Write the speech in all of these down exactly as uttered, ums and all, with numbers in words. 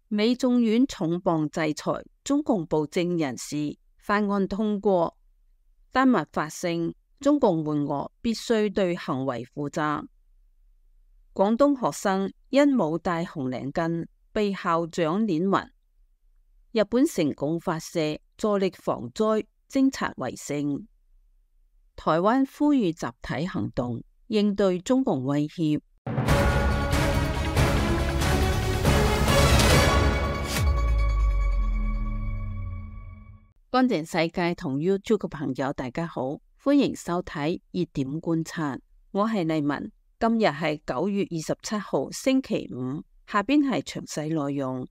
美眾院重磅制裁中共暴政人士法案通過，丹麥發聲，中共援俄必須對行為負責。廣東學生因冇戴紅領巾被校長碾暈。日本成功發射助力防災偵察衛星。台灣呼籲集體行動，應對中共威脅。乾淨世界同 YouTube 嘅朋友大家好，歡迎收睇熱點觀察，我係麗文。今日係九月二十七號星期五，下邊係詳細內容。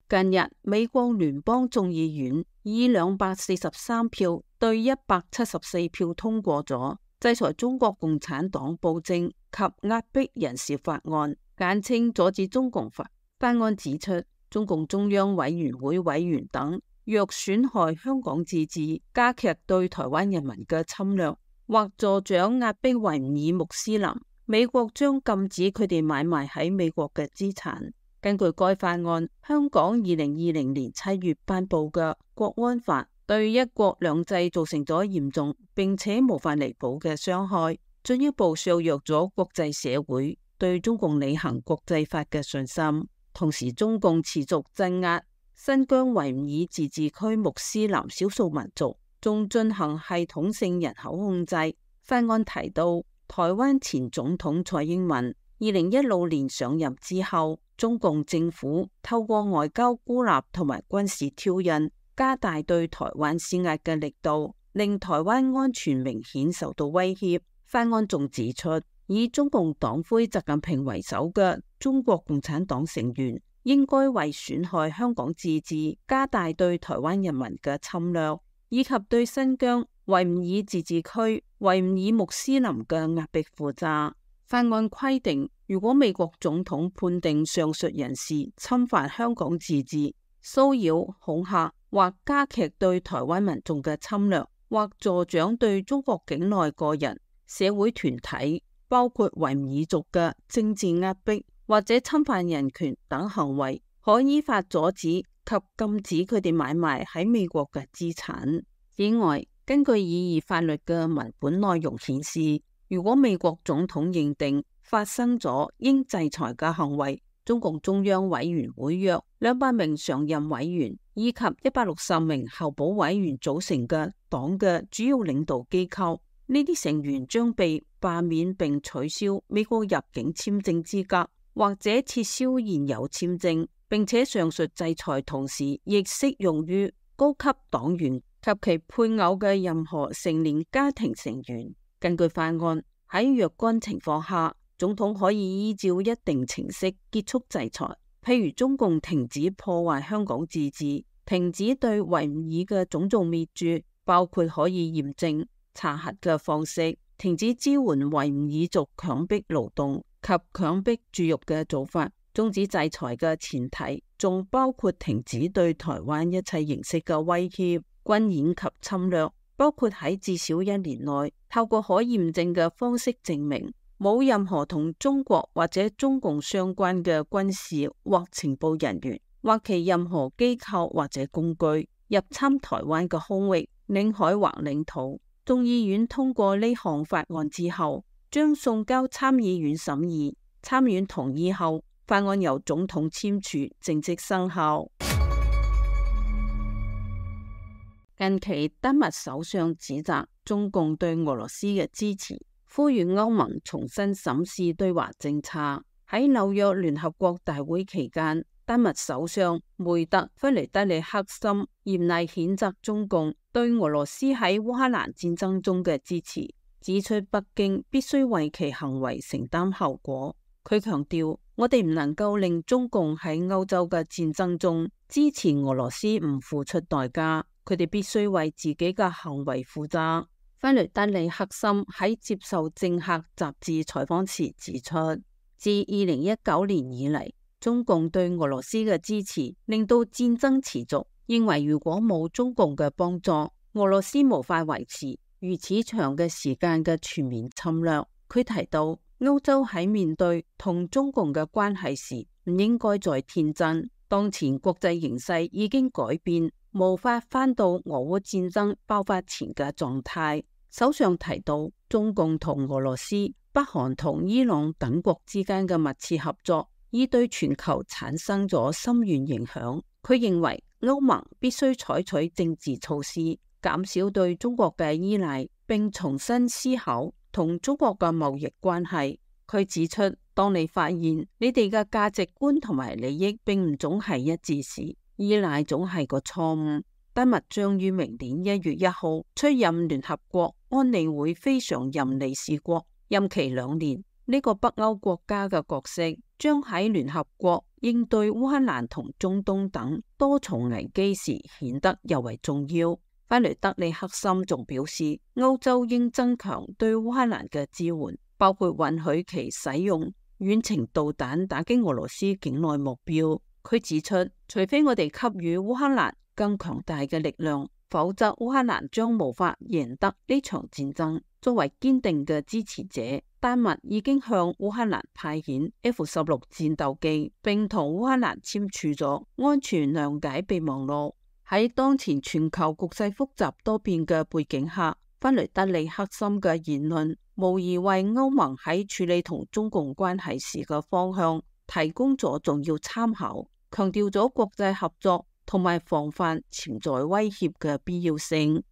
近日，美國聯邦眾議院以兩百四十三票對一百七十四票通過咗制裁中國共產黨暴政及壓迫人士法案，簡稱阻止中共法。法案指出，中共中央委員會委員等若損害香港自治，加劇對台灣人民嘅侵略，或助長壓迫維吾爾穆斯林，美國將禁止佢哋買賣喺美國嘅資產。根據該法案，香港二零二零年七月頒布嘅國安法對一國兩制造成咗嚴重並且無法彌補嘅傷害，進一步削弱咗國際社會對中共履行國際法嘅信心。同時，中共持續鎮壓新疆維吾爾自治區穆斯林少數民族，仲進行系統性人口控制。法案提到，台灣前總統蔡英文二零一六年上任之後，中共政府透過外交孤立同埋軍事挑釁，加大對台灣施壓嘅力度，令台灣安全明顯受到威脅。法案仲指出，以中共黨魁習近平為首嘅中國共產黨成員，應該為損害香港自治、加大對台灣人民嘅侵略，以及對新疆維吾爾自治區維吾爾穆斯林嘅壓迫負責。法案規定，如果美國總統判定上述人士侵犯香港自治、騷擾、恐嚇或加劇對台灣民眾嘅侵略，或助長對中國境內個人、社會團體，包括維吾爾族嘅政治壓迫或者侵犯人權等行為，可依法阻止及禁止佢哋買賣喺美國嘅資產。此外，根據擬議法律嘅文本內容顯示，如果美國總統認定發生咗應制裁嘅行為，中共中央委員會約兩百名常任委員以及一百六十名候補委員組成嘅黨嘅主要領導機構，呢啲成員將被罷免並取消美國入境簽證資格，或者撤銷現有簽證，並且上述制裁同時亦適用於高級黨員及其配偶嘅任何成年家庭成員。根據法案，喺若干情況下，總統可以依照一定程式結束制裁，譬如中共停止破壞香港自治，停止對維吾爾嘅種族滅絕，包括可以驗證、查核嘅方式，停止支援維吾爾族強迫勞動及強迫絕育嘅做法。終止制裁嘅前提仲包括停止對台灣一切形式嘅威脅、軍演及侵略，包括喺至少一年內透過可驗證嘅方式證明冇任何同中國或者中共相關嘅軍事或情報人員或其任何機構或者工具入侵台灣嘅空域、領海或領土。眾議院通過呢項法案之後，將送交參議院審議，參院同意後，法案由總統簽署，正式生效。近期，丹麥首相指責中共對俄羅斯嘅支持，呼籲歐盟重新審視對華政策。喺紐約聯合國大會期間，丹麥首相梅特弗雷德里克森嚴厲譴責中共對俄羅斯喺烏克蘭戰爭中嘅支持，指出北京必須為其行為承擔後果。佢強調，我哋唔能夠令中共喺歐洲嘅戰爭中支持俄羅斯唔付出代價。佢哋必須為自己嘅行為負責。弗雷德里克森喺接受政客雜誌採訪時指出，自二零一九年以嚟，中共對俄羅斯嘅支持令到戰爭持續，認為如果冇中共嘅幫助，俄羅斯無法維持如此長嘅時間嘅全面侵略。佢提到，歐洲喺面對同中共嘅關係時，唔應該再天真。當前國際形勢已經改變，無法返到俄烏戰爭爆發前嘅狀態。首相提到，中共同俄羅斯、北韓同伊朗等國之間嘅密切合作，已對全球產生咗深遠影響。佢認為歐盟必須採取政治措施，減少對中國嘅依賴，並重新思考同中國嘅貿易關係。佢指出，當你發現你哋嘅價值觀同埋利益並唔總係一致時，依賴總係個錯誤。丹麥將於明年一月一號出任聯合國安理會非常任理事國，任期兩年。呢個北歐國家嘅角色將喺聯合國應對烏克蘭同中東等多重危機時顯得尤為重要。弗雷德里克森仲表示，歐洲應增強對烏克蘭嘅支援，包括允許其使用遠程導彈打擊俄羅斯境內目標。佢指出，除非我哋給予烏克蘭更強大嘅力量，否則烏克蘭將無法贏得呢場戰爭。作為堅定嘅支持者，丹麥已經向烏克蘭派遣 F 十六戰鬥機，並同烏克蘭簽署咗安全諒解備忘錄。喺當前全球局勢複雜多變嘅背景下，弗雷德里克森嘅言論無疑為歐盟喺處理同中共關係時嘅方向提供咗重要參考，強調咗國際合作同埋防範潛在威脅嘅必要性。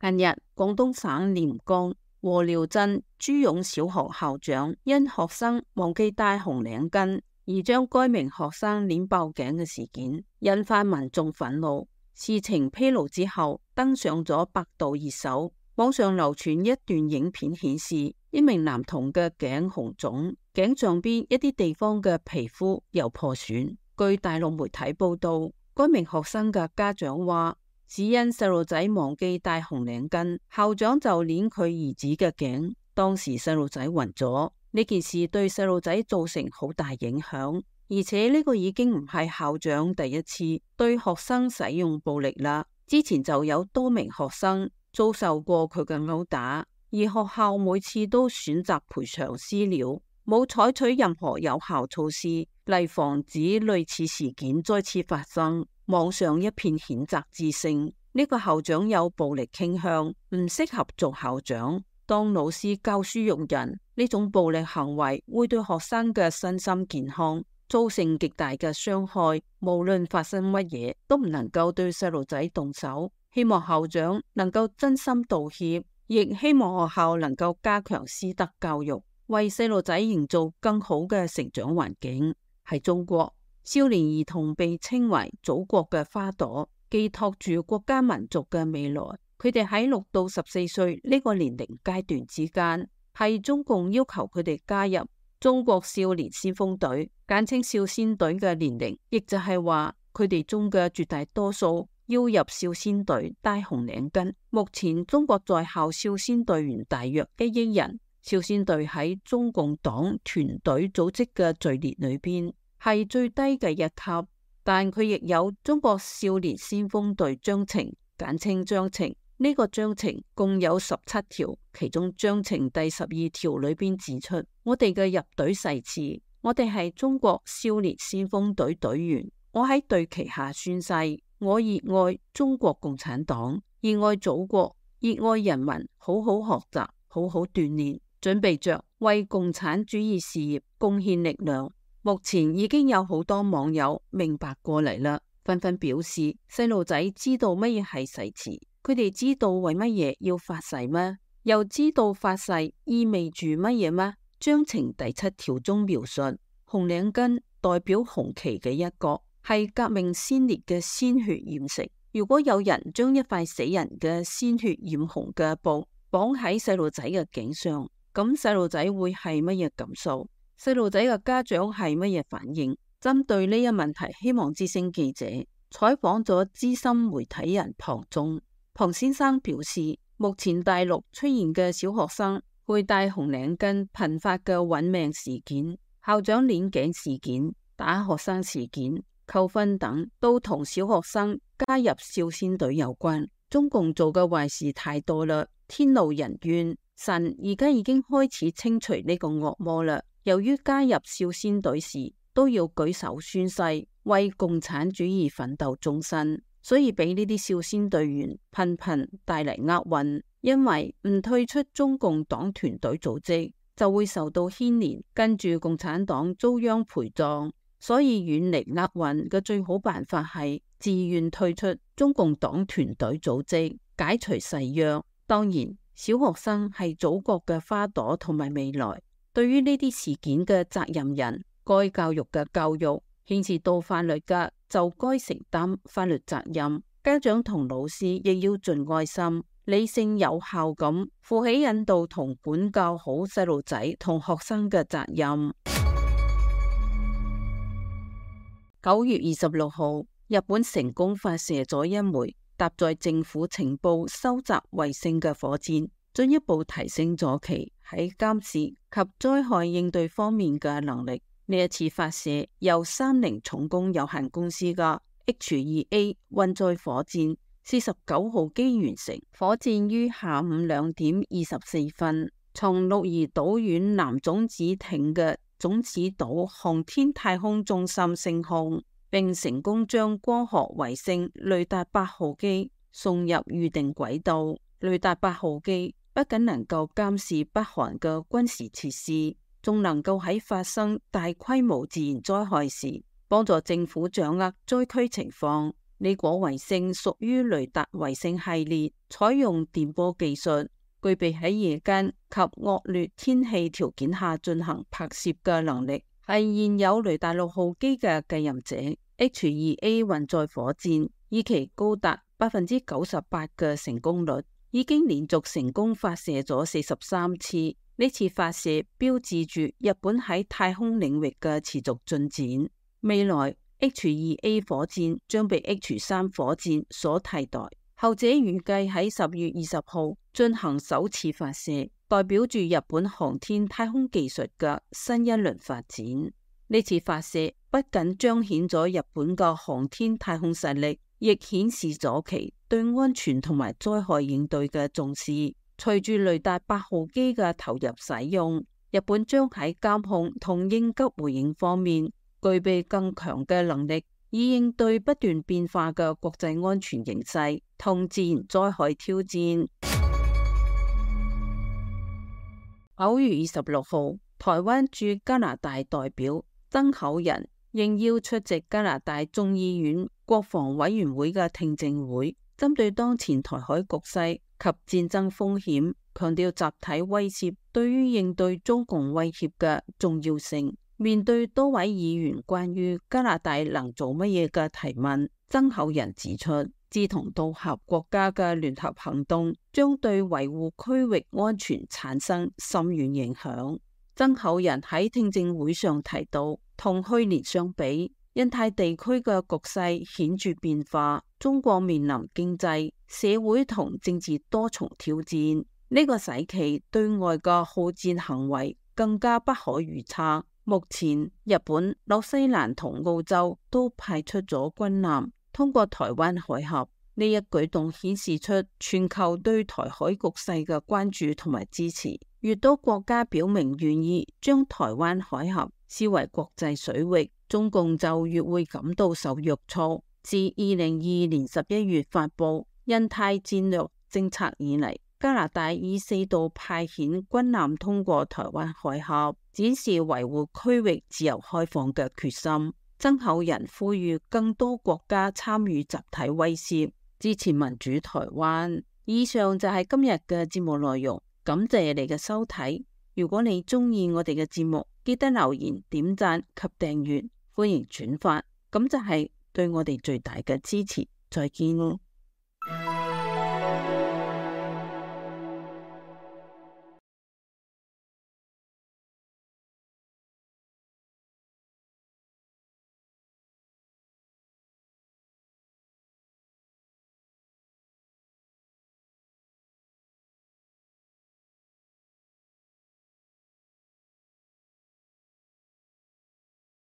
近日，廣東省廉江和寮鎮朱勇小學校長因學生忘記帶紅領巾而將該名學生鏈爆頸嘅事件，引發民眾憤怒。事情披露之後，登上咗百度熱搜。網上流傳一段影片，顯示一名男童嘅頸紅腫，頸上邊一啲地方嘅皮膚有破損。據大陸媒體報道，該名學生嘅家長話，只因細路仔忘記帶紅領巾，校長就鏈佢兒子嘅頸，當時細路仔暈咗。呢件事對細路仔造成好大影響，而且呢個已經唔係校長第一次對學生使用暴力啦。之前就有多名學生遭受過佢嘅毆打，而學校每次都選擇賠償私了，冇採取任何有效措施嚟防止類似事件再次發生。網上一片譴責之聲，呢個校長有暴力傾向，唔適合做校長。當老師教書育人，呢種暴力行為會對學生嘅身心健康造成極大嘅傷害。無論發生乜嘢，都唔能夠對細路仔動手。希望校長能夠真心道歉，亦希望學校能夠加強師德教育，為細路仔營造更好嘅成長環境。喺中國，少年兒童被稱為祖國嘅花朵，寄託住國家民族嘅未來。佢哋喺六到十四歲呢個年齡階段之間，係中共要求佢哋加入中國少年先鋒隊，簡稱少先隊嘅年齡，亦就係話佢哋中嘅絕大多數要入少先隊帶紅領巾。目前中國在校少先隊員大約一億人，少先隊喺中共黨團隊組織嘅序列裏邊係最低嘅一級，但佢亦有中國少年先鋒隊章程，簡稱章程。呢個章程共有十七條，其中章程第十二條裏邊指出，我哋嘅入隊誓詞，我哋係中國少年先鋒隊隊員。我喺隊旗下宣誓，我熱愛中國共產黨，熱愛祖國，熱愛人民，好好學習，好好鍛煉，準備着為共產主義事業貢獻力量。目前已經有好多網友明白過嚟啦，紛紛表示細路仔知道乜嘢係誓詞。佢哋知道為乜嘢要發誓嗎？又知道發誓意味住乜嘢嗎？章程第七條中描述，紅領巾代表紅旗嘅一角，係革命先烈嘅鮮血染成。如果有人將一塊死人嘅鮮血染紅嘅布綁喺細路仔嘅頸上，咁細路仔會係乜嘢感受？細路仔嘅家長係乜嘢反應？針對呢一問題，希望之聲記者採訪咗資深媒體人龐忠。龐先生表示，目前大陸出現嘅小學生佩戴紅領巾頻發嘅揾命事件、校長鏈頸事件、打學生事件、扣分等，都同小學生加入少先隊有關。中共做嘅壞事太多啦，天怒人怨，神而家已經開始清除呢個惡魔啦。由於加入少先隊時都要舉手宣誓為共產主義奮鬥終身，所以俾呢啲少先隊員頻頻帶嚟厄運。因為唔退出中共黨團隊組織，就會受到牽連，跟住共產黨遭殃陪葬。所以遠離厄運嘅最好辦法係自願退出中共黨團隊組織，解除誓約。當然，小學生係祖國嘅花朵同埋未來，對於呢啲事件嘅責任人，該教育嘅教育，牽涉到法律嘅就該承擔法律責任。家長同老師亦要盡愛心、理性、有效咁負起引導同管教好細路仔同學生嘅責任。九月二十六號，日本成功發射咗一枚搭載政府情報收集衛星嘅火箭，進一步提升咗其喺監視及災害應對方面嘅能力。呢一次發射由三菱重工有限公司嘅 H 二 A 運載火箭四十九號機完成。火箭於下午兩點二十四分從鹿兒島縣南種子町嘅種子島航天太空中心升空，並成功將光學衛星雷達八號機送入預定軌道。雷達八號機不僅能夠監視北韓嘅軍事設施，仲能夠喺發生大規模自然災害時幫助政府掌握災區情況。呢顆衛星屬於雷達衛星系列，採用電波技術，具備喺夜間及惡劣天氣條件下進行拍攝嘅能力，係現有雷達六號機嘅繼任者。H 二 A 運載火箭以其高達百分之九十八嘅成功率，已經連續成功發射咗四十三次。呢次發射標誌住日本喺太空領域嘅持續進展。未來 H 二 A 火箭將被 H 三火箭所替代，後者預計喺十月二十號進行首次發射，代表住日本航天太空技術嘅新一輪發展。呢次發射不僅彰顯咗日本嘅航天太空實力，亦顯示咗其對安全同埋災害應對嘅重視。隨住雷達八號機嘅投入使用，日本將喺監控同應急回應方面具備更強嘅能力，以應對不斷變化嘅國際安全形勢同自然災害挑戰。九月二十六號，台灣駐加拿大代表曾厚仁應邀出席加拿大眾議院國防委員會嘅聽證會，針對當前台海局勢及戰爭風險，強調集體威懾對於應對中共威脅嘅重要性。面對多位議員關於加拿大能做乜嘢嘅提問，曾厚仁指出，志同道合國家嘅聯合行動將對維護區域安全產生深遠影響。曾厚仁喺聽證會上提到，同去年相比，印太地區嘅局勢顯著變化，中國面臨經濟、社會同政治多重挑戰，呢個使其對外嘅好戰行為更加不可預測。目前，日本、紐西蘭同澳洲都派出咗軍艦通過台灣海峽，呢一舉動顯示出全球對台海局勢嘅關注同埋支持。越多國家表明願意將台灣海峽視為國際水域，中共就越會感到受約束。自二零二二年十一月發布印太戰略政策以嚟，加拿大以四度派遣軍艦通過台灣海峽，展示維護區域自由開放嘅決心。曾厚仁呼籲更多國家參與集體威懾，支持民主台灣。以上就係今日嘅節目內容，感謝你嘅收睇。如果你中意我哋嘅節目，記得留言、點讚及訂閱，歡迎轉發，咁就係對我哋最大嘅支持。再見咯。